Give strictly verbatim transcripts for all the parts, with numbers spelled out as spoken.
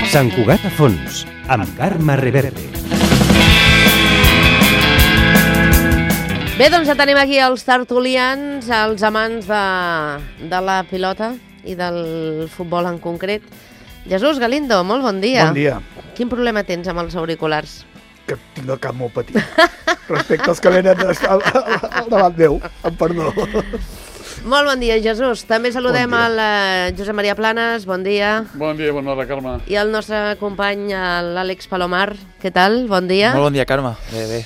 Sant Cugat a fons, amb Carme Reverte. Bé, doncs ja tenim aquí els tertulians, els amants de, de la pilota i del futbol en concret. Jesús Galindo, molt bon dia. Bon dia. Quin problema tens amb els auriculars? Que tinc el cap molt petit. Respecte als que venen al, al davant meu, amb perdó. Molt bon dia, Jesús. També saludem Bon dia. el uh, Josep Maria Planes, bon dia. Bon dia, bona hora, Carme. I el nostre company, l'Àlex Palomar, què tal? Bon dia. Molt bon dia, Carme. Bé, bé.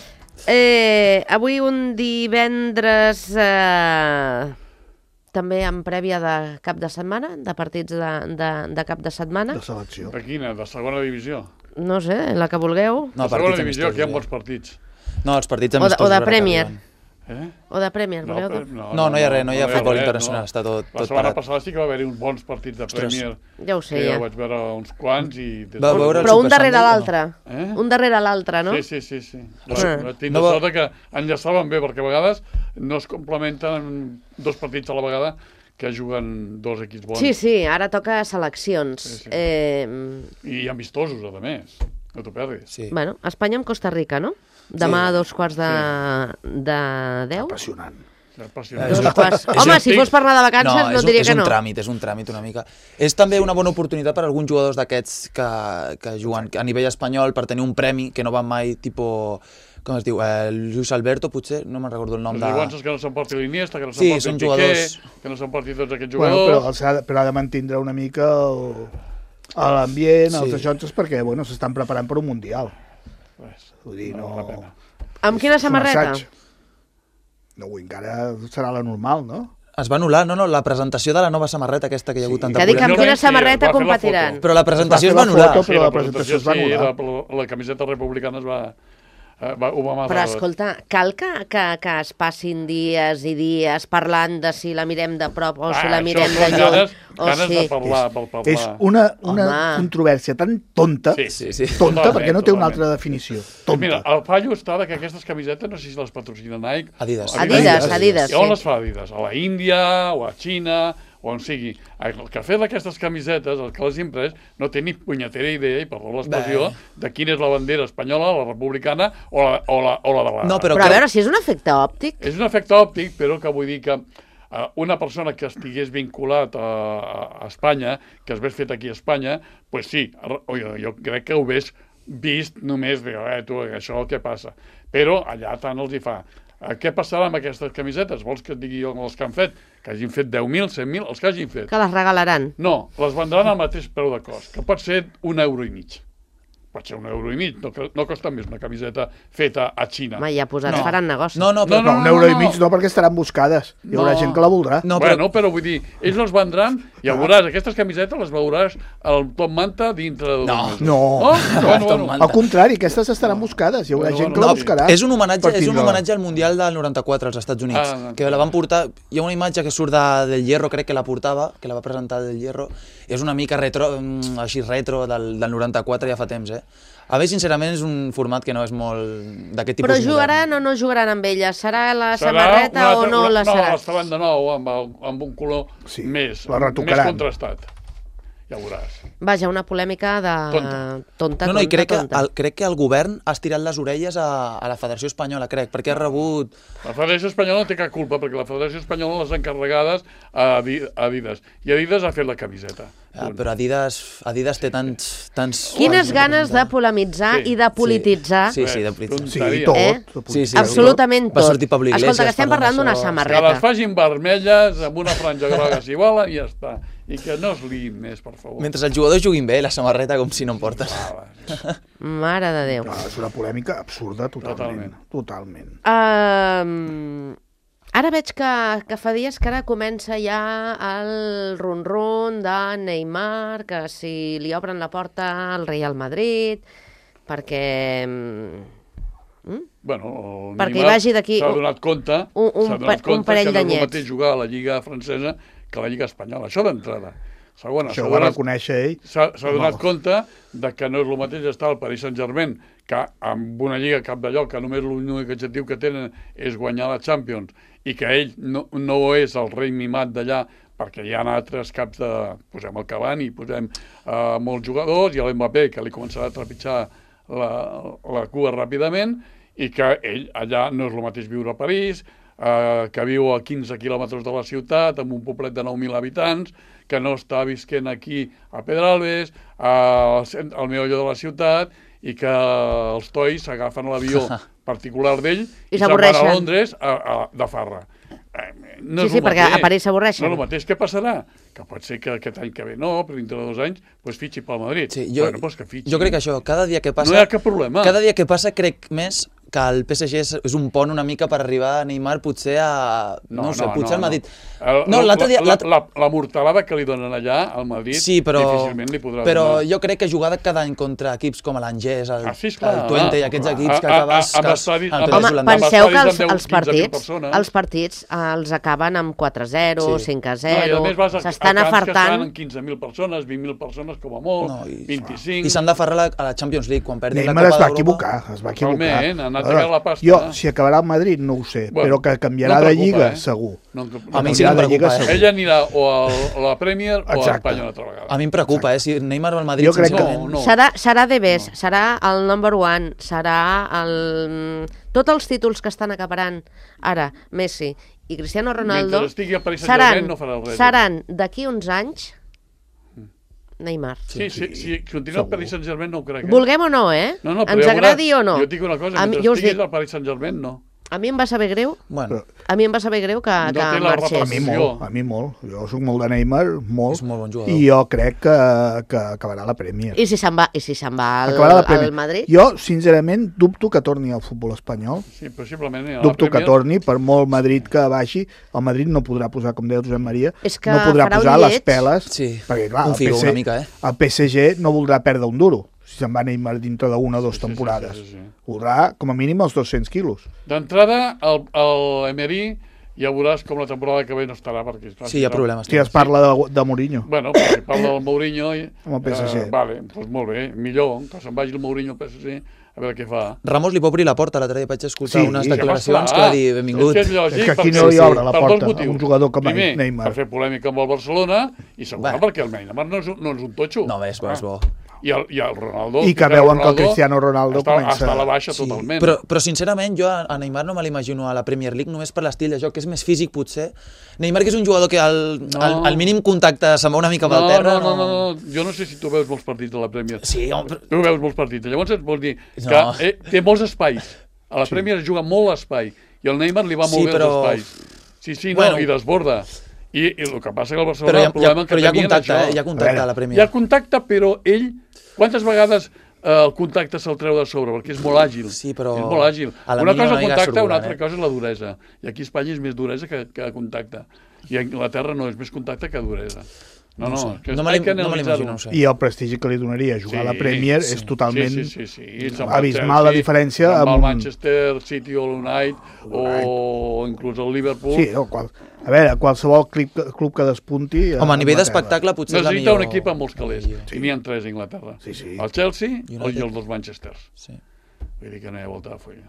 Eh, avui un divendres eh, també en prèvia de cap de setmana, de partits de, de, de cap de setmana. De selecció. De quina? De segona divisió? No sé, la que vulgueu. No, de segona divisió, aquí hi ha molts partits. No, els partits O de, amistosos. o de ara que Premier. arriben. Eh? O de Premier, voleu? però- No, no hi ha res, no hi ha futbol res, internacional, no. està tot, La tot setmana parat. passada sí que va haver-hi uns bons partits de Ostres. Premier. Ja ho sé, que ja. jo vaig veure uns quants i... des Va de- veure el Però un Super darrere Sunday, l'altre. Eh? Un darrere l'altre, no? Sí, sí, sí. sí. Ah. La, tinc No no va- sort que enllaçaven bé, perquè a vegades no es complementen dos partits a la vegada que juguen dos equips bons. Sí, sí, ara toca seleccions. Sí, sí. Eh, I amistosos, a més. No t'ho perdis. Sí. bueno, Espanya amb Costa Rica, no? Demà a dos quarts de, de deu. Apassionant. És Dos apassionant. quarts. és Home, un- si fos per anar de vacances no, és et un, diria és que un no. tràmit, és un tràmit una mica. És també una bona oportunitat per a alguns jugadors d'aquests que, que juguen a nivell espanyol per tenir un premi que no van mai, tipus, com es diu, eh, Luis Alberto, potser, no me'n recordo el nom Els de... lluances que no s'emporti l'Iniesta, que no Sí, s'emporti són el Piqué, jugadors- que no s'emporti tots aquests Bueno, però, jugadors. els ha, de- però ha de mantindre una mica el- l'ambient, Sí. els ajuntes, perquè bueno, s'estan preparant per un Mundial. Pues, Vull dir, no no... val la pena. Amb quina és un samarreta? assaig. No, avui encara serà la normal, no? Es va anul·lar, no, no, la presentació de la nova samarreta aquesta que hi ha hagut Sí. tanta Que dic amb polèmica. quina Finalment, sí, samarreta va fer la competiran. foto. Però la presentació es Es va va fer la anul·lar. foto, però la presentació es va sí, anul·lar. la, la camiseta republicana es va... eh, va ho va matar. Però escolta, cal que, que, que es passin dies i dies parlant de si la mirem de prop o si la mirem de això són lluny. ganes, O ganes si... de parlar, per parlar. És una, una Home. controvèrsia tan tonta, Sí, Sí, sí. tonta, Totalment, perquè no té una totalment. altra definició. Doncs Tonta. mira, el fallo està de que aquestes camisetes, no sé si les patrocina Nike... Adidas. Adidas, Adidas, I on sí. les fa Adidas? A la Índia o a Xina o on sigui. El que ha fet d'aquestes camisetes, el que les ha imprès, no té ni punyetera idea, i per l'expressió, Bé. de quina és la bandera espanyola, la republicana o la, o la, o la de la... No, però, Però a que- veure, si és un efecte òptic. És un efecte òptic, però que vull dir que uh, una persona que estigués vinculat a, a Espanya, que es hagués fet aquí a Espanya, pues sí, jo, jo crec que ho hagués vist només de, eh, tu, això què passa? Però allà tant els hi fa. Uh, què passarà amb aquestes camisetes? Vols que et digui jo els que han fet? Que hagin fet deu mil, cent mil, els que hagin fet. Que les regalaran. No, les vendran al mateix preu de cost, que pot ser un euro i mig. Pot ser un euro i mig, no, no costa més una camiseta feta a Xina. Home, ja posats No. faran negoci. No, no, però... No, no, un euro no, i no. mig no, perquè estaran buscades. Hi haurà No. gent que la voldrà. No, No, però... bueno, però vull dir, ells les vendran i ja veuràs, aquestes camisetes les veuràs al Top Manta dintre de dos No. mesos. No. Oh? No, Bueno, Tom bueno. Manta. Al contrari, aquestes estaran buscades. Hi haurà Bueno, gent que bueno, la sí. buscarà. És un homenatge, per és un tindre-la. homenatge al Mundial del noranta-quatre als Estats Units, Ah, que la van portar... Hi ha una imatge que surt de, del Hierro, crec que la portava, que la va presentar del Hierro. És una mica retro, mm, així retro del, del noranta-quatre ja fa temps, eh? A mi, sincerament, és un format que no és molt d'aquest tipus Però modern. jugaran o no jugaran amb ella? Serà la Serà samarreta una o altra- no una, la serà? No, les faran de nou amb, el, amb un color Sí, més, la més retocaran. contrastat. Ja veuràs. Vaja, una polèmica de... Tonta. Tonta, No, no, i tonta, crec que, tonta. el, crec que el govern ha estirat les orelles a, a la Federació Espanyola, crec, perquè ha rebut... La Federació Espanyola no té cap culpa, perquè la Federació Espanyola les ha encarregades a Adi- a Adidas. I Adidas ha fet la camiseta. Ah, però Adidas, Adidas té tants... tants Quines ganes de polemitzar Sí, i de polititzar. Sí, sí, de polititzar. Sí, Tonteria. tot. Eh? tot Sí, sí. Absolutament Va tot. sortir Pablo Iglesias Escolta, que estem parlant parlant d'una d'això. Que samarreta. les facin vermelles amb una franja groga si volen i ja està. I que no es liïn més, per favor. Mentre els jugadors juguin bé, la samarreta com si no en porten. Ah, Mare de Déu. No, és una polèmica absurda, totalment. Totalment. Um, ara veig que, que fa dies que ara comença ja el run-run de Neymar, que si li obren la porta al Real Madrid, perquè... mm, Bueno, el Perquè hi Neymar vagi d'aquí s'ha un- donat compte, un- un s'ha pa- donat un compte parell que no és d'anyets. el mateix jugar a la Lliga francesa que a la Lliga espanyola. Això d'entrada. Segona, Això ho s'ha va donat- reconèixer ell. S'ha s'ha donat Home. compte de que no és el mateix estar al Paris Saint-Germain, que amb una lliga cap de lloc, que només l'únic objectiu que tenen és guanyar la Champions, i que ell no, no és el rei mimat d'allà perquè hi ha altres caps de... Posem el Cavani, posem uh, molts jugadors, i l'Mbappé, que li començarà a trepitjar la, la cua ràpidament, i que ell allà no és el mateix viure a París, uh, que viu a quinze quilòmetres de la ciutat, amb un poblet de nou mil habitants, que no està visquent aquí a Pedralbes, uh, al meollo de la ciutat, i que els tois s'agafen l'avió particular d'ell i, I se'n van a s'avorreixen. Londres a, a, de farra. No Sí, sí, perquè a París s'avorreixen. No és el mateix. Què passarà? Que pot ser que aquest any que ve no, però dintre de dos anys pues, fitxi pel Madrid. Sí, jo, bueno, pues que fitxi. jo crec que això, cada dia que passa... No hi ha cap problema. Cada dia que passa crec més que el P S G és, és un pont una mica per arribar a Neymar potser a... No, no sé, potser no, al Madrid. No, no l'altre dia... La, la, la, la mortalada que li donen allà al Madrid sí, però, difícilment li podrà però donar. jo crec que jugar cada any contra equips com l'Angers, el, ah, sí, esclar, el Twente i aquests clar. equips que A- a- acabes... a- amb que- estadis- el amb- P S G Home, holandès. penseu que els, Amb deu, els quinze mil partits, persones. els partits eh, els acaben amb quatre a zero, Sí. cinc a No, i zero, a més vas a, s'estan a camps que estan afartant. en quinze mil persones, vint mil persones com a molt, No, i- vint-i-cinc... I s'han d'aferrar a, la- a la Champions League quan perdin la Neymar es Copa va d'Europa. equivocar, es va equivocar. Totalment, ha anat a Veure, tirar la pasta. Jo, si acabarà al Madrid, no ho sé, Bueno, però que canviarà no de preocupa, lliga, eh? segur. No, A mi sí que Canviarà em de lliga, preocupa, eh? segur. Ell anirà o al, a la Premier o a Exacte. l'Espanya una altra vegada. A mi em preocupa, eh? Si Neymar va al Madrid, Jo crec que- sincerament... No, no. Serà, serà de bes, no. serà el number one, serà el... Tots els títols que estan acaparant ara Messi i Cristiano Ronaldo Mentre estigui a Paris Saint-Germain seran, no farà res. seran d'aquí uns anys Neymar. Sí, sí, si continua al Paris Saint-Germain no ho crec. Eh? Vulguem o no, eh? No, no, però Ens ja veuràs, agradi o no. Jo et dic una cosa, A mi- mentre jo us estiguis dic- al Paris Saint-Germain, no. A mi em va saber greu, Bueno, a mi em va saber greu que, No que té la marxés. A mi molt, a mi molt. Jo soc molt de Neymar, molt. És molt bon jugador. I jo crec que, que acabarà la Premier. I si se'n va, i si se'n va al, Acabarà la Premier. al Madrid? Jo, sincerament, dubto que torni al futbol espanyol. Sí, possiblement. A la Dubto que Premier- torni, per molt Madrid que baixi, el Madrid no podrà posar, com deia el Josep Maria, És que no podrà farà un posar les lleig. peles, Sí, perquè clar, un el, figo P S G, una mica, eh? el P S G no voldrà perdre un duro, si se'n va Neymar dintre d'una o dues Sí, sí, temporades. sí, sí, sí. Voldrà, com a mínim, els dos-cents quilos. D'entrada, el, el Emery ja veuràs com la temporada que ve no estarà, perquè... Clar, sí, hi ha problemes. Si es parla de, de Mourinho. Bueno, però si parla del Mourinho... I, Amb el P S G. Eh, vale, doncs molt bé, millor, que se'n vagi el Mourinho al P S G, a veure què fa. Ramos li pot obrir la porta, l'altre dia vaig escoltar Sí, unes que declaracions va que va esclar. dir benvingut. És que és lògic, És que aquí perquè- no li sí, obre la per dos porta a motius. un jugador com Primer, Neymar. per fer polèmica amb el Barcelona, i segon, Bé. perquè el Neymar no és, un- no és un totxo. No, bé, és bo, és bo. I el, i el Ronaldo... I que Cristiano veuen que el Ronaldo Cristiano Ronaldo està, comença- està a la baixa Sí, totalment. però, però sincerament jo a a Neymar no me l'imagino a la Premier League només per l'estil de joc, que és més físic potser. Neymar, que és un jugador que al, No. al, al mínim contacte se'n va una mica amb no, el terra. no, no, no, no, jo no sé si tu veus molts partits de la Premier. Sí, home, però- Tu veus molts partits. Llavors et vols dir que No. eh, té molts espais. A la Premier es juga molt l'espai. I al Neymar li va molt Sí, bé però- els espais. Sí, sí, no, Bueno. i desborda. I, I el que passa que el Barcelona, però hi ha, el problema hi ha, que però hi ha tenien contacte, això. eh? Hi ha contacte a la Hi Premier. ha contacte, però ell... Quantes vegades eh, el contacte se'l treu de sobre? Perquè és molt àgil. Sí, però És molt àgil. a la Una mínima cosa no és el anirà contacte, una sorvolant, altra eh? cosa és la duresa. I aquí a Espanya és més duresa que, que contacte. I a Anglaterra no, és més contacte que duresa. No, no, sé. és que no me hay que l'im- no me l'imagino, analitzar-ho. no ho sé. I el prestigi que li donaria jugar a la Premier sí, és totalment sí, sí, sí, sí. Se'n va al abismal la Chelsea, diferència se'n va amb al un- Manchester City o l'United o inclús el Liverpool. Sí, no, qual... a veure, qualsevol club, club que despunti... Home, a nivell Anglaterra. d'espectacle potser és la Necessita millor... un equip amb molts calés. Sí. I n'hi ha tres a Anglaterra. Sí, sí. El Chelsea United. i els dos Manchesters. Sí. Vull dir que no hi ha volta de fulla.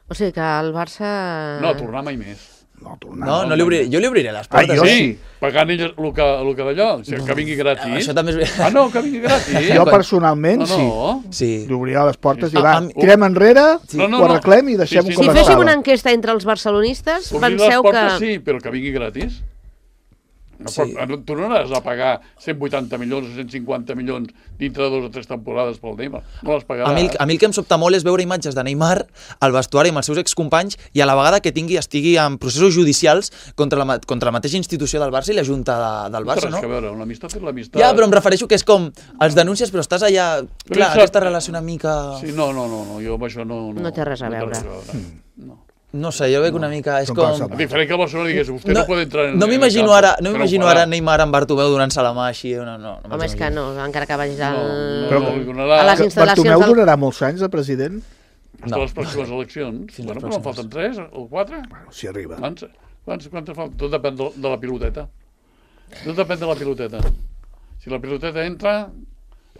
O sigui que el Barça... No, tornar mai més. No, tornar. No, no li obriré, jo li obriré les Ah, portes. jo eh? sí. Pagant ell el que, el que d'allò, o sigui, que vingui gratis. Això també és... Ah, no, que vingui gratis. Jo personalment no, sí. no. Sí. Li obrirà les portes Sí. i va, Ah, a mi- tirem enrere, No, no, ho no. arreglem i deixem-ho Sí, sí, com Si no, féssim estava. una enquesta entre els barcelonistes, Obrir les penseu que... portes sí, però que vingui gratis. No Sí. pot, no, tu no n'has de pagar cent vuitanta milions o cent cinquanta milions dintre de dos o tres temporades pel Neymar. No les pagaràs. A mi, el- a mi el que em sobta molt és veure imatges de Neymar al vestuari amb els seus excompanys i a la vegada que tingui estigui en processos judicials contra la, ma- contra la mateixa institució del Barça i la Junta de, del No té Barça, res no? que veure, l'amistat és l'amistat. Ja, però em refereixo que és com els denúncies, però estàs allà... Però Clar, sap- aquesta relació una mica... Sí, no, no, no, no, jo amb això no... No, No té res a veure. No. No sé, jo veig una mica... És No com... passa A diferent que el Barcelona digués, vostè no, no pot entrar en... no en el m'imagino camp, ara, no que ho m'imagino farà. ara Neymar amb Bartomeu donant-se la mà així. No, no, no Home, és que no, encara que vagis al... No, no, Però- no, li donarà... a les instal·lacions Bartomeu del- durarà molts anys de president? Fins a les pròximes eleccions. Fins Bueno, les però en pròximes. falten tres o quatre. Bueno, si arriba. Quants, quants, quants falten? Tot depèn de, de la piloteta. Tot depèn de la piloteta. Si la piloteta entra,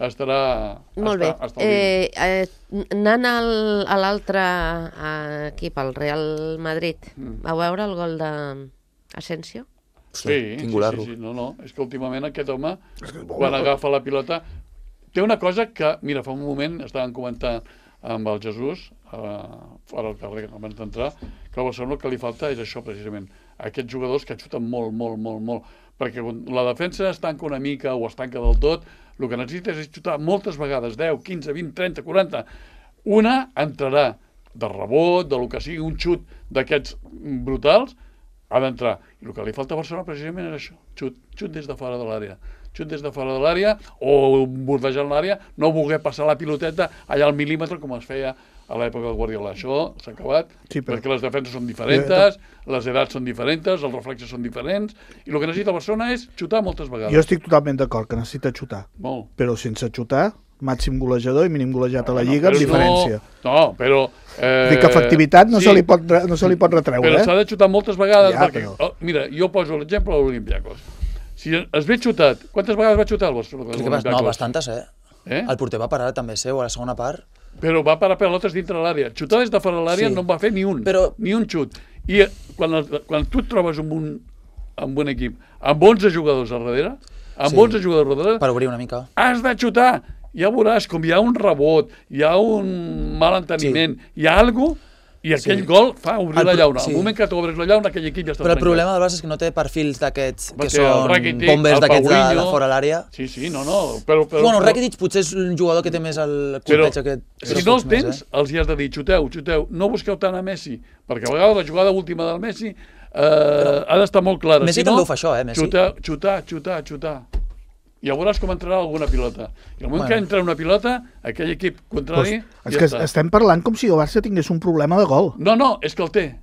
estarà... Molt bé. Està, està al límit. Eh, eh, anant al, a l'altre eh, equip, el Real Madrid, Mm. vau veure el gol de Asensio? Hosti, Sí, quin sí, gularro. sí, sí, no, no, és que últimament aquest home, És que és bo, quan no? agafa la pilota, té una cosa que, mira, fa un moment estàvem comentant amb el Jesús, eh, fora al carrer, abans d'entrar, que al Barcelona el que li falta és això, precisament, aquests jugadors que xuten molt, molt, molt, molt, perquè quan la defensa es tanca una mica o es tanca del tot, el que necessites és xutar moltes vegades, deu, quinze, vint, trenta, quaranta. Una entrarà de rebot, de lo que sigui, un xut d'aquests brutals, ha d'entrar. I el que li falta a Barcelona precisament és això, xut, xut des de fora de l'àrea. Xut des de fora de l'àrea o bordejant l'àrea, no voler passar la piloteta allà al mil·límetre com es feia a l'època del Guardiola. Això s'ha acabat, Sí, però- perquè les defenses són diferents, les edats són diferents, els reflexes són diferents, i el que necessita el Barcelona és xutar moltes vegades. Jo estic totalment d'acord que necessita xutar, Molt. però sense xutar, màxim golejador i mínim golejat a la Lliga, Però amb diferència. No, no però... Eh, Dic que efectivitat no, sí, se li pot, re- no se li pot retreure, Però eh? s'ha de xutar moltes vegades, Ja, perquè... però- Oh, mira, jo poso l'exemple de l'Olimpiakos. Si es ve xutat, quantes vegades va xutar el Barcelona? Crec que vas, no, bastantes, eh? Eh? El porter va parar també seu a la segona part. Però va parar pelotes dintre l'àrea. Xutar des de fora de l'àrea Sí. no en va fer ni un, Però- ni un xut. I eh, quan, el, quan tu et trobes amb un, amb un equip amb onze jugadors al darrere, amb Sí. onze jugadors al darrere, Per obrir una mica. has de xutar. Ja veuràs com hi ha un rebot, hi ha un mal enteniment, sí. hi ha alguna cosa, i aquell Sí. gol fa obrir El la pro- llauna. sí. Al moment que t'obres la llauna, aquell equip ja està Però el trencat. problema del Barça és que no té perfils d'aquests Va que ser el són Rakitic, bombers el d'aquests de, de Paulinho. fora l'àrea. Sí, sí, no, no. Però, però, Bueno, però- Rakitic potser és un jugador que té més el Però, colpeig aquest. si però no els pocs més, tens, eh? els hi has de dir, xuteu, xuteu, no busqueu tant a Messi, perquè a vegades la jugada última del Messi eh, ha d'estar molt clara. Messi si no, també ho fa això, eh, Messi? Xutar, xutar, xutar, xutar. I ja veuràs com entrarà alguna pilota. I al moment Bueno. que entra una pilota, aquell equip contrari, Pues, és ja que està. estem parlant com si el Barça tingués un problema de gol. No, no, és que el té.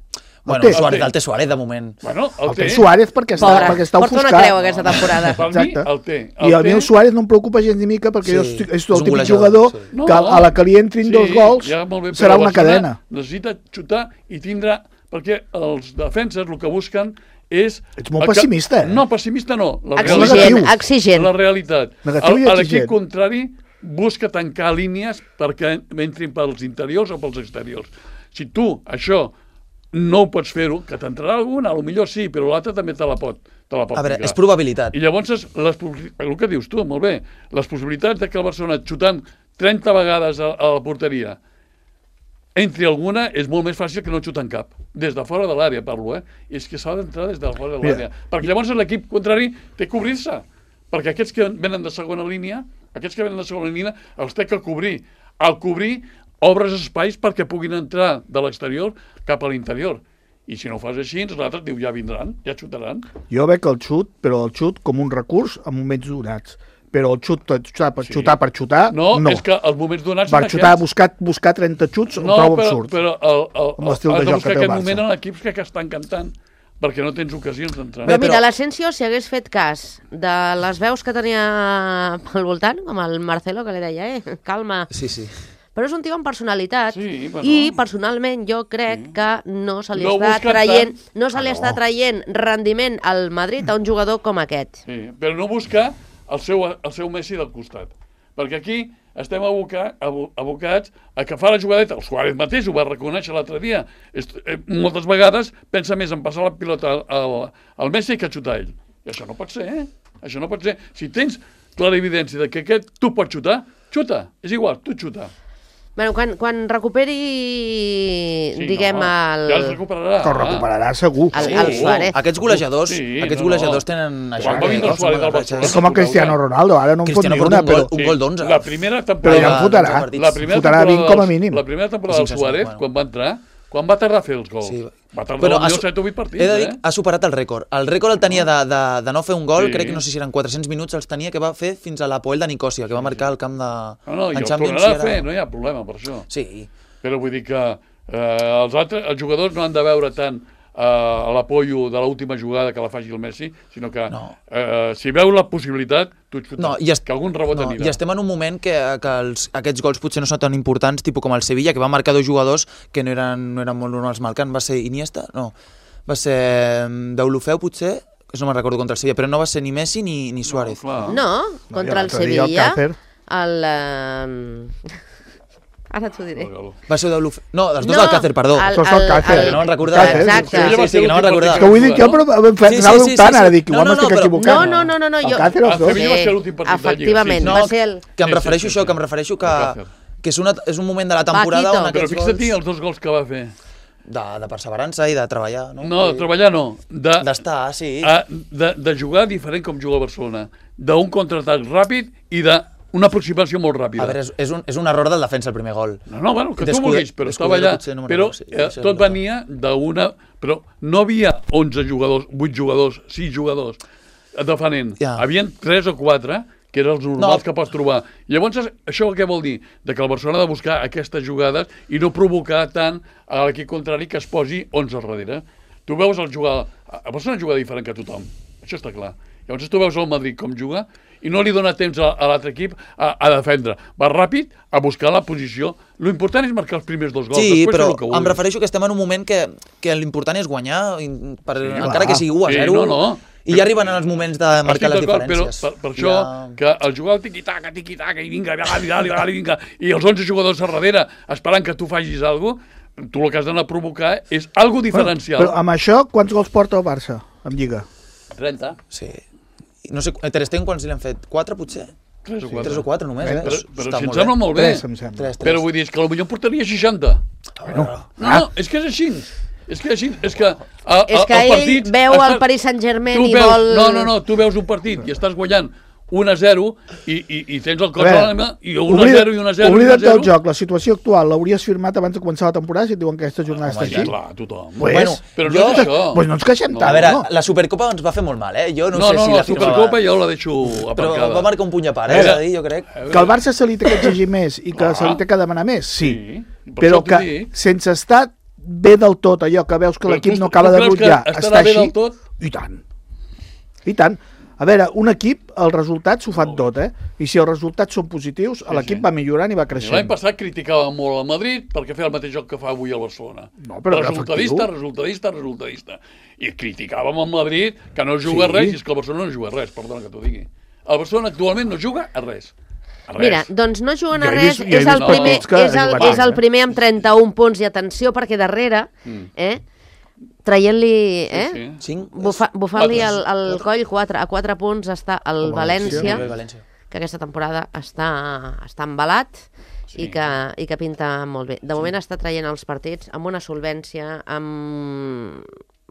Bueno, té. el Suárez, El té. el té Suárez de moment. Bueno, el, El té. té Suárez perquè està, Pobre, perquè està porta una ofuscat. creu aquesta temporada. Per Exacte. mi, el té. I a mi té. el Suárez no em preocupa gens ni mica perquè Sí, jo estic, és és el un típic golejador, jugador sí. No, que a la que li entrin dos gols ja, molt bé, serà però una Barcelona cadena. Necessita xutar i tindrà... Perquè els defenses el que busquen és... Ets molt el que- pessimista, eh? No, pessimista no. La Exigent, negatiu. exigent. La realitat. Negatiu i El- L'equip exigent. contrari busca tancar línies perquè entrin pels interiors o pels exteriors. Si tu això no ho pots fer-ho, que t'entrarà alguna, potser sí, però l'altre també te la pot, te la pot A veure, ficar. és probabilitat. I llavors, és les, possi- el que dius tu, molt bé, les possibilitats de que el Barcelona xutant trenta vegades a, a la porteria entri alguna és molt més fàcil que no xutant cap. Des de fora de l'àrea, parlo, eh? És que s'ha d'entrar des de fora de Mira. l'àrea. Perquè llavors l'equip contrari té que cobrir-se. Perquè aquests que venen de segona línia, aquests que venen de segona línia, els té que cobrir. Al cobrir, obres espais perquè puguin entrar de l'exterior cap a l'interior. I si no ho fas així, l'altre diu, ja vindran, ja xutaran. Jo veig el xut, però el xut com un recurs en moments donats. Però el xut, xutar per Sí. xutar per xutar, No, no. és que els moments donats Per són xutar, aquests. buscar, buscar trenta xuts, ho No, trobo però, absurd. però el, el, Amb l'estil el, de has de joc buscar que té el aquest Barça. moment en equips que, que estan cantant, perquè no tens ocasions d'entrar. Però Bé, mira, però- l'Asensio, si hagués fet cas de les veus que tenia pel voltant, com el Marcelo, que li deia, eh, calma. Sí, sí. Però és un tio amb personalitat Sí, bueno. i personalment jo crec sí. que no se li No està busca traient, tant. no se li Ah, està no. traient rendiment al Madrid a un jugador com aquest. Sí, però no buscar el seu, el seu Messi del costat. Perquè aquí estem aboca, abo, abocats a que fa la jugadeta. El Suárez mateix ho va reconèixer l'altre dia. Est, eh, moltes vegades pensa més en passar la pilota al, al, al Messi que a xutar ell. I això no pot ser, eh? Això no pot ser. Si tens clara evidència de que aquest tu pots xutar, xuta. És igual, tu xuta. Bueno, quan, quan recuperi, Sí, diguem, no, el... Ja es recuperarà. Que el recuperarà segur. El- Sí, el Suárez. Aquests golejadors, Sí, aquests no, golejadors no. tenen això. Quan va que- vindre el que Suárez són al ratxes. Barcelona, És com a Cristiano Ronaldo, ara no en fot Cristiano ni porta una, un gol, però... un gol d'onze. La primera Però temporada... ja en fotrà. partits. La primera Fotrà temporada vint com a del- mínim. La primera temporada del Cinc, Suárez, bueno. quan va entrar, quan va tardar a fer els gols? Sí. Va tardar Bueno, potser ha su- set o vuit partits, He de dir, eh? ha superat el rècord. El rècord el tenia de, de, de no fer un gol, Sí. crec que no sé si eren quatre-cents minuts, els tenia que va fer fins a l'Apoel de Nicòsia, que va marcar al camp de... No, no, i en el Champions, tornarà i a ara- fer, no hi ha problema per això. Sí, Però vull dir que eh, els, altres, els jugadors no han de veure tant eh, l'apoyo de l'última jugada que la faci el Messi, sinó que No. eh, si veu la possibilitat, tu xuta, no, i, est que algun rebot no, anirà. i estem en un moment que, que els, aquests gols potser no són tan importants, tipus com el Sevilla, que va marcar dos jugadors que no eren, no eren molt normals marcant. Va ser Iniesta? No. Va ser mm, Deulofeu, potser? No me'n recordo contra el Sevilla, però no va ser ni Messi ni, ni Suárez. No, clar. No, i contra el l'altre dia el Sevilla, Càcer. el... eh, Ara t'ho diré. Va ser d'Oluf... No, els dos No, del Càcer, perdó. el- Tots del Càcer. Que no me'n recordava. Càcer. Exacte. Sí, sí, sí, que no me'n recordava. És que vull dir que jo, però em Sí, sí, anava sí, dubtant, sí, ara sí. dic, igual No, no, m'estic no, però- equivocant. No, no, no, no, no, El jo... Càcer, els El dos. Sevilla va ser l'últim partit de Lliga. Efectivament, No, va ser el... que em Sí, sí, refereixo sí, això, sí. que em refereixo que, Càcer. que és, una, és un moment de la temporada Paquito. on Però aquests fixa't gols els dos gols que va fer. de, de perseverança i de treballar, no? No, de treballar no. De, D'estar, sí. a, de, de jugar diferent com juga el Barcelona. D'un contraatac ràpid i d'una aproximació molt ràpida. A veure, és, és, un, és un error del defensa el primer gol. No, no, bueno, que tu Descuide- vulguis, però estava allà. Descudero potser no me'n Però recordo, sí, eh, sí, tot sí. venia d'una... Però no havia onze jugadors, vuit jugadors, sis jugadors defenent. Ja. Havien tres o quatre, que eren els normals No. que pots trobar. Llavors, això què vol dir? De que el Barcelona ha de buscar aquestes jugades i no provocar tant a l'equip contrari que es posi onze al darrere. Tu veus el jugar... El Barcelona juga diferent que tothom. Això està clar. Llavors tu veus el Madrid com juga i no li dona temps a, a l'altre equip a, a defendre. Va ràpid a buscar la posició. Lo important és marcar els primers dos gols. Sí, Després però fer el que em vulguis. refereixo que estem en un moment que, que l'important és guanyar, in- per, Sí, encara clar. que sigui u a Sí, zero, no, no. i ja arriben els moments de marcar les Estic d'acord, diferències. Però per, per això, Ja... que el jugar al tiqui-taca, tiqui-taca, i vinga, dali, dali, dali, vinga, i els onze jugadors a darrere esperant que tu facis alguna cosa, tu el que has d'anar a provocar és algo diferencial. Però amb això, quants gols porta el Barça en Lliga? trenta. Sí. I No sé, Ter Stegen quants li han fet? Quatre, potser? tres o quatre. Tres o quatre només, eh? Però, Està però si em molt sembla bé. molt bé. Tres, em sembla. Tres, tres. Però vull dir, és que potser en portaria seixanta. Bueno, No, no, és que és així. És que és així. És que, a, És que el ell partit veu està- el Paris Saint-Germain tu i veus, vol... No, no, no, tu veus un partit i estàs guanyant un a zero i, i, i tens el cos A a veure, l'ànima i un a zero i un a zero i un a Oblida't zero. del joc, la situació actual l'hauries firmat abans de començar la temporada si et diuen que aquesta jornada està Sí, així? clar, tothom. Pues, Bueno, Però no jo- és això. pues no ens queixem No. tant, A veure, no? la Supercopa ens va fer molt mal, eh? Jo no, No, sé no, si la la firmava. Supercopa jo la deixo Però aparcada. va marcar un puny a part, eh? Era- És a dir, jo crec. Que al Barça se li té que exigir més i que Clar. se li té que demanar més, sí. Sí, per Però això t'ho que dic. sense estar bé del tot, allò que veus que Però l'equip tu- no tu acaba de creus que rutllar, estarà està bé així, del tot? i tant. I tant. A veure, un equip, els resultats ho fan tot, eh? I si els resultats són positius, l'equip sí. va millorant i va L'any creixent. passat criticava molt el Madrid perquè feia el mateix joc que fa avui el Barcelona. No, però era resultadista, efectiu. resultadista, resultadista. I criticàvem el Madrid que no juga Sí. a res i és que el Barcelona no juga a res, perdona que t'ho digui. El Barcelona actualment no juga a res. A res. Mira, doncs no juguen a Jo he res, vist- jo he és, vist el primer, partits que és, el, juguen, és el eh? primer amb trenta-un punts i atenció perquè darrere, eh, traient-li, eh, Sí, sí. Cinc? bufa, bufant-li Quatre. el, el coll, quatre, a quatre punts està el El València. València, Molt bé, València. que aquesta temporada està, està embalat Sí. i, que, i que pinta molt bé. De moment està traient els partits amb una solvència, amb,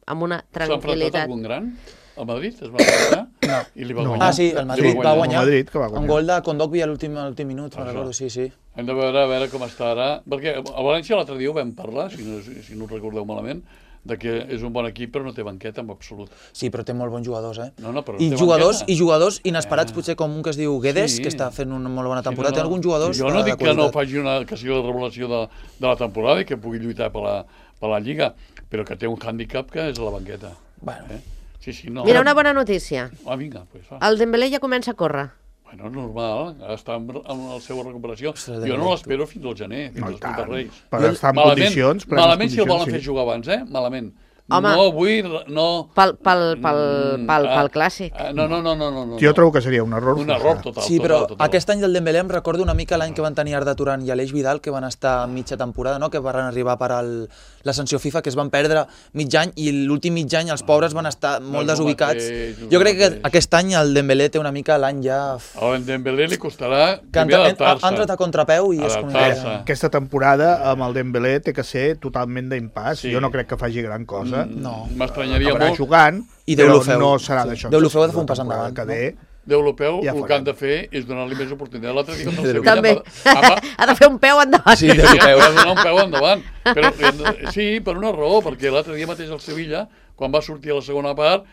amb una S'ha enfrontat tranquil·litat. algun gran? El Madrid es va enfrontar no. i li va No. guanyar. Ah, sí, el Li Madrid va guanyar. El Madrid, que va guanyar. Un gol de Kondogbia a l'últim a l'últim minut, me'n Això. recordo, sí, sí. Hem de veure, a veure com està ara, perquè el València l'altre dia ho vam parlar, si no, si no ho recordeu malament, de que és un bon equip però no té banqueta en absolut. Sí, però té molt bons jugadors, eh? No, no, però I té jugadors, banqueta. i jugadors inesperats, potser com un que es diu Guedes, Sí. que està fent una molt bona Sí, temporada. no, Té no. alguns jugadors Jo no de, dic de que no qualitat. faci una, que sigui la revelació de, de la temporada i que pugui lluitar per la, per la Lliga, però que té un hàndicap que és la banqueta. Bueno. Eh? Sí, sí, no. Mira, una bona notícia. Ah, vinga, pues va. El Dembélé ja comença a córrer. Bueno, normal, està en, en la seva recuperació. Ostres, Jo Dembélé, no l'espero fins al gener, fins No, i als tant. Puig Reis. Per estar en Malament, condicions, plenes malament si el volen condicions, fer jugar abans, eh? Malament. Home. No vull, no... Pel, pel, pel, Mm, pel, ah, pel clàssic. ah, No, no, no, no, no. no. Jo trobo que seria un error. Un forçat. error total. Sí, però total, total. aquest any del Dembélé em recordo una mica l'any que van tenir Arda Turan i Aleix Vidal, que van estar en mitja temporada, no? Que van arribar per al, la sanció FIFA, que es van perdre mig any, i l'últim mig any els pobres van estar molt és el desubicats. mateix, és Jo el crec que mateix. aquest any el Dembélé té una mica l'any ja... A en Dembélé li costarà Que ha primer entrat- ha adaptar-se. ha entrat a contrapeu i és com... Adaptar-se. Aquesta temporada amb el Dembélé té que ser totalment d'impàs. Sí. Jo no crec que faci gran cosa. No. M'estranyaria Acabarà molt. jugant, I però Deulofeu. no serà Sí. d'això. Deulofeu ha de fer un pas La temporada endavant, Que ve, D'Europeu, Ja el que farem. han de fer és donar-li més oportunitat. L'altre dia contra el Sevilla... També. va- va- Ha de fer un peu endavant. Sí, Sí, d'Europeu. ha de donar un peu endavant. Però, sí, per una raó, perquè l'altre dia mateix el Sevilla, quan va sortir a la segona part,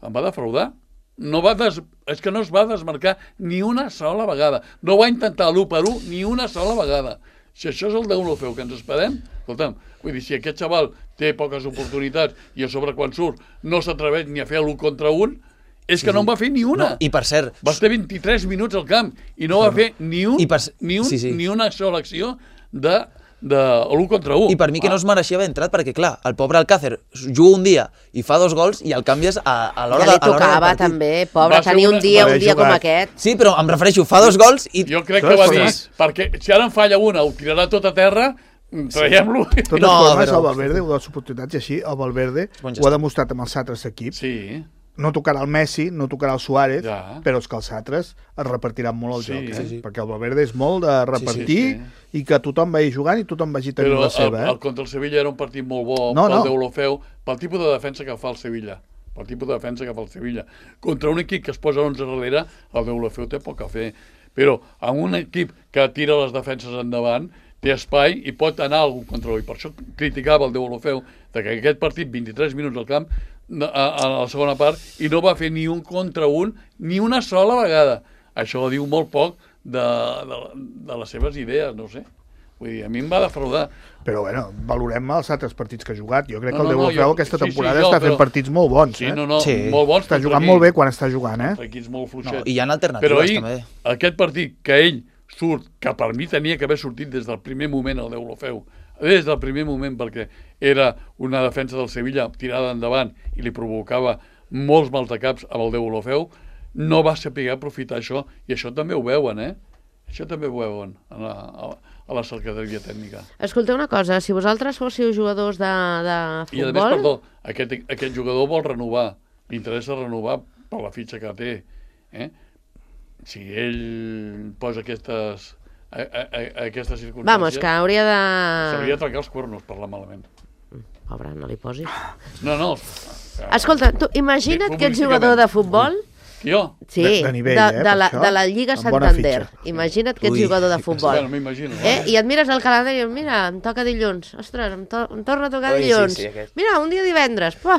em va defraudar. No va des... És que no es va desmarcar ni una sola vegada. No va intentar l'u per u ni una sola vegada. Si això és el d'Eulofeu que ens esperem, escolta'm, vull dir, si aquest xaval té poques oportunitats i a sobre quan surt no s'atreveix ni a fer l'u contra un, és que no en va fer ni una. No, I per cert, Va estar vint-i-tres minuts al camp i no va fer ni, un, I per- ni, un, sí, sí. ni una sola acció de de l'u contra u. I per mi que no es mereixia haver entrat, perquè clar, el pobre Alcácer juga un dia i fa dos gols i el canvies a, a l'hora Ja de, li a l'hora del tocava partit. també, pobre, Va ser tenir un una- dia, va un haver dia com jugat. aquest. Sí, però em refereixo, fa dos gols i... Jo crec De que va totes dir, formes- perquè si ara en falla una, ho tirarà tot a terra, traiem-lo. De totes No, formes, però- el Valverde, ho de les oportunitats, i així, el Valverde Bon ho gest. ha demostrat amb els altres equips. Sí, No tocarà el Messi, no tocarà el Suárez, Ja. però és que els altres es repartiran molt el Sí, joc, eh? sí, sí. Perquè el Valverde és molt de repartir sí, i que tothom vagi jugant i tothom vagi tenint però la el, seva, el eh? contra el Sevilla era un partit molt bo No, pel no. Deulofeu, pel tipus de defensa que fa el Sevilla. Pel tipus de defensa que fa el Sevilla. Contra un equip que es posa onze darrere, el Deulofeu té poc a fer. Però amb un equip que tira les defenses endavant, té espai i pot anar a algun control. I per això criticava el Deulofeu de que aquest partit, vint-i-tres minuts al camp, a, a la segona part, i no va fer ni un contra un, ni una sola vegada. Això diu molt poc de, de, de les seves idees, no sé. Vull dir, a mi em va defraudar. Però, bueno, valorem els altres partits que ha jugat. Jo crec No, que el no, no, Deulofeu jo- aquesta sí, sí, temporada jo, està fent però- partits molt bons, Sí, eh? no, no, Sí. molt bons. Està contra jugant equips- molt bé quan està jugant, eh? contra equips molt fluixets. No, i hi ha Però alternatives ahir, també. aquest partit que ell surt, que per mi tenia que haver sortit des del primer moment el Deulofeu, des del primer moment, perquè era una defensa del Sevilla tirada endavant i li provocava molts maldecaps amb el Deulofeu, no va saber aprofitar això, i això també ho veuen, eh? Això també ho veuen a la, a, a la cercateria tècnica. Escolteu una cosa, si vosaltres fóssiu jugadors de, de I a més, futbol... perdó, aquest, aquest jugador vol renovar, li interessa renovar per la fitxa que té. Eh? Si ell posa aquestes, a, a, a, aquestes circumstàncies... Vamos, que hauria de... S'hauria de trencar els cuernos, parlar malament. Pobre, no li posis. No, no. Escolta, tu imagina't Sí, que ets jugador de futbol... Jo? Sí, De- de nivell, de, eh, de, per la, això. de la Lliga Amb bona Santander. fitxa. Imagina't que ets Ui. jugador de futbol. Bueno, m'imagino. Eh? I et mires el calendari i dius, mira, em toca dilluns. Ostres, em, to em torna a tocar Ui, sí, dilluns. sí, aquest. Mira, un dia divendres. Pua.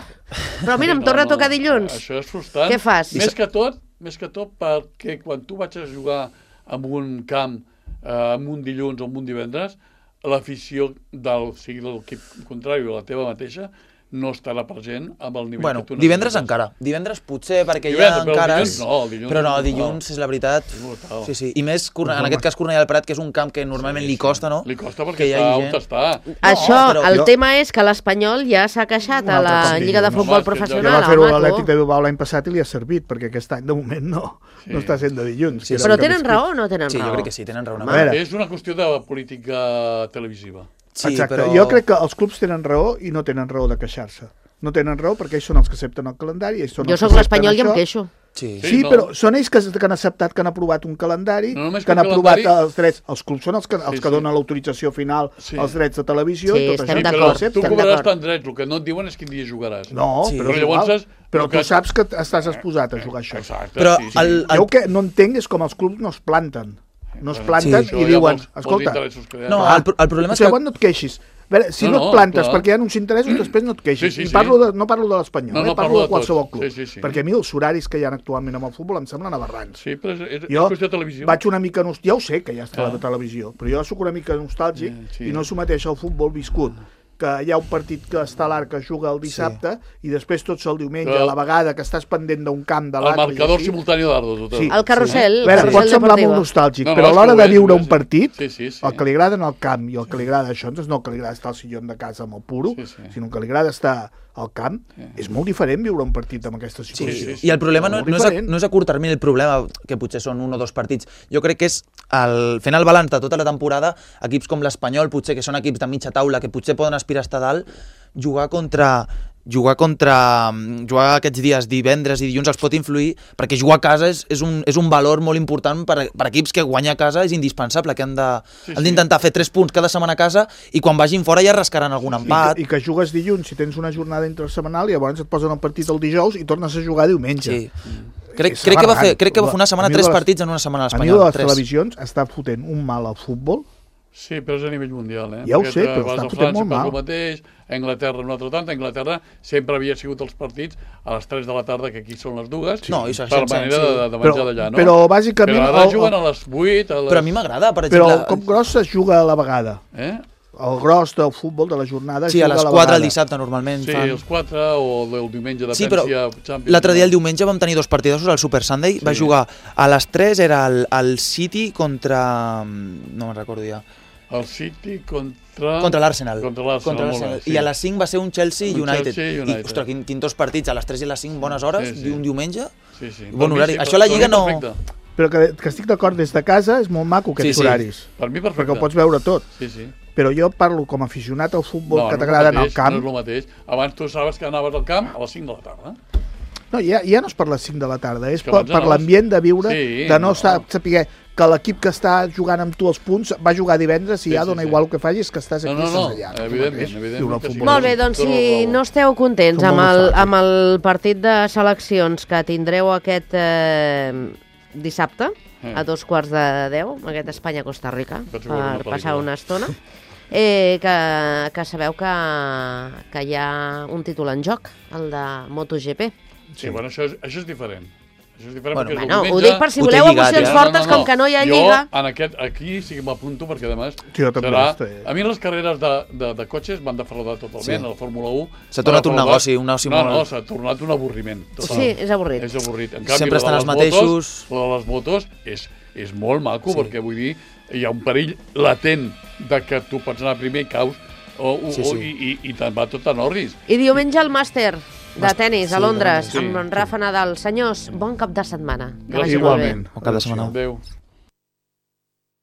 Però mira, em No, torna a no, tocar dilluns. Això és frustrant. Què fas? Més que tot, més que tot perquè quan tu vaig a jugar en un camp, eh, en un dilluns o en un divendres, l'afició del, sigui l'equip contrari o la teva mateixa, no estarà present amb el nivell Bueno, que tu divendres necessites. encara. Divendres potser perquè hi Divendres, ha però encara... dilluns no, el dilluns però no, és brutal. dilluns és la veritat... És brutal. Sí, sí. I més, Corne- en aquest cas, Cornellà del Prat, que és un camp que normalment li costa, no? Li costa perquè Que hi està hagi on gent. està. Això, però el jo- tema és que l'Espanyol ja s'ha queixat Un a altre la cop Lliga de dilluns. Futbol Home, és que Ja Professional, va fer-ho a l'Atlètic Maco. de Bilbao l'any passat i li ha servit, perquè aquest any, de moment, no, Sí. no està sent de dilluns. Sí, que sí. era Però el que tenen més raó o no tenen Sí, raó? jo crec que sí, tenen raó. A veure. És una qüestió de política televisiva. Sí, Exacte, però... jo crec que els clubs tenen raó i no tenen raó de queixar-se. No tenen raó perquè ells són els que accepten el calendari. Ells són Jo els que sóc l'Espanyol accepten i em això. queixo. Sí. Sí, Sí, no. però són ells que, que han acceptat, que han aprovat un calendari, No només que han que un aprovat calendari- els drets. Els clubs són els que, els Sí, que sí. donen l'autorització final, Sí. els drets de televisió Sí, i tot estem això. Sí, d'acord, però Ho tu accepten. estem cobraràs d'acord. tant drets, el que no et diuen és quin dia jugaràs. No, Sí. però, Però és llavors igual. és- però el tu que- saps que estàs exposat a jugar això. Exacte, Però sí, sí. el- Jo el que no entenc és com els clubs no es planten. No es Clar, planten això i hi ha diuen, molts- molts escolta, interessos que hi ha. No, clar, el, pro- el problema o és sigui, que... llavors no et queixis. A veure, si No, no, no, et plantes clar. perquè hi ha uns interessos, després no et queixis. Sí, sí, I sí. parlo de, no parlo de l'Espanyol, No, eh? no, parlo parlo de de qualsevol tots. club. Sí, sí, sí. Perquè a mi els horaris que hi ha actualment amb el futbol em semblen aberrants. Sí, però és, és, és Jo qüestió de televisió. vaig una mica... Nost... Ja ho sé que ja està Ah. a la televisió, però jo sóc una mica nostàlgic Eh, sí. i no s'ho mateix al futbol viscut. Que hi ha un partit que està a l'Arc que juga el dissabte i després tot el diumenge, Però- a la vegada que estàs pendent d'un camp de El l'altre... i marcador així. simultani d'Ardos. Total. Sí. El carrusel, A el veure, carrusel pot semblar deportiu. molt nostàlgic, No, però no, a és l'hora que ho de és, viure ho un és. partit, Sí, sí, sí. el que li agrada anar al camp i el que li agrada això, doncs no el que li agrada estar al sillon de casa amb el puro, Sí, sí. sinó que li agrada estar al camp, és molt diferent viure un partit amb aquesta Sí, situació. sí, sí. i el problema no, Molt no, és a, diferent. no és a curt termini el problema, que potser són un o dos partits. Jo crec que és, el, fent el balanç de tota la temporada, equips com l'Espanyol, potser que són equips de mitja taula, que potser poden aspirar a estar dalt, jugar contra... jugar contra... jugar aquests dies, divendres i dilluns, els pot influir, perquè jugar a casa és, és, un, és un valor molt important per, per equips que guanyar a casa és indispensable, que han de- Sí, han sí. d'intentar fer tres punts cada setmana a casa i quan vagin fora ja rascaran algun I empat. que, I que jugues dilluns si tens una jornada intersetmanal i llavors et posen el partit el dijous i tornes a jugar diumenge. Sí. Crec, És crec, que va fer, aberrant. crec que va fer una setmana A mi tres de les- partits en una setmana a A mi de l'Espanyol. les Tres. televisions està fotent un mal al futbol. Sí, però és a nivell mundial, eh? Ja ho Perquè sé, te però vas estan a fotent França, molt fas mal. el mateix, a Anglaterra un altre tant, a Anglaterra sempre havia sigut els partits a les tres de la tarda, que aquí són les dues, No, i per segueixen manera sent, de, sí. de Però, menjar d'allà, no? però bàsicament... Però ara el- juguen el- a les vuit, a les... Però a mi m'agrada, per Però exemple... el cop gros es juga a la vegada. Eh? El gros del futbol de la jornada es Sí, a juga les la quatre vegada. el dissabte normalment Sí, fan... els quatre, o el diumenge de Sí, però Pència, Champions. l'altre dia, el diumenge, vam tenir dos partidossos al Super Sunday. Sí. Va jugar a les tres, era el, el City contra... no me'n recordo ja. El City contra... Contra l'Arsenal. Contra l'Arsenal, molt bé, sí. I a les cinc va ser un Chelsea Un United. Chelsea United. I, ostres, quin, quin dos partits, a les tres i a les cinc, bones hores, Sí, sí. un diumenge. Sí, sí. Bon Per mi horari. sí, Això a la per Lliga mi no... perfecte. Però que, que estic d'acord, des de casa és molt maco aquests Sí, sí. horaris. Per mi perfecte. Perquè ho pots veure tot. Sí, sí. Però jo parlo com a aficionat al futbol No, que no és t'agrada el anar al mateix, camp. No és el mateix. Abans tu sabies que anaves al camp a les cinc de la tarda. No, ja, ja no és per les cinc de la tarda, és que per, abans per anaves- l'ambient de viure, Sí, de no, no. sap, saber que l'equip que està jugant amb tu els punts va jugar divendres i Sí, ja sí, dona sí. igual el que facis, que estàs No, aquí no, i no, estàs allà. evidentment, Tu mateix. evidentment Diu el que sí. futbol. Molt bé, doncs Tota la si raó. no esteu contents Som amb molt el, nostàlgics. amb el partit de seleccions que tindreu aquest eh, dissabte, Eh. a dos quarts de deu, aquest Espanya-Costa Rica, Vaig veure una per passar pel·lícula. una estona, eh, que, que sabeu que, que hi ha un títol en joc, el de MotoGP. Sí, bueno, això és, això és diferent. Això és diferent Bueno, perquè és el Bueno, ho diumenge. dic per si Ho té voleu lligat, emocions ja. fortes, com que no hi ha jo, lliga. en aquest, aquí sí que m'apunto perquè, a més, Jo també serà... estic. A mi les carreres de, de, de cotxes m'han defraudat totalment. Sí. A la Fórmula un... S'ha m'ha tornat un defraudat. negoci, un negoci no, molt- No, no, s'ha tornat un avorriment. total. Sí, és avorrit. És avorrit. En canvi, Sempre la de estan les els mateixos. Motos, la de les motos és, és molt maco, Sí. perquè vull dir, hi ha un perill latent de que tu pots anar primer i caus o, o, Sí, sí. o, i, i, i te'n va tot a Norris. I diumenge el màster de tennis sí, a Londres, sí. amb en Rafa Nadal. Senyors, bon cap de setmana. Que Gràcies. vagi molt bé. Igualment. Bon cap de setmana. Adéu.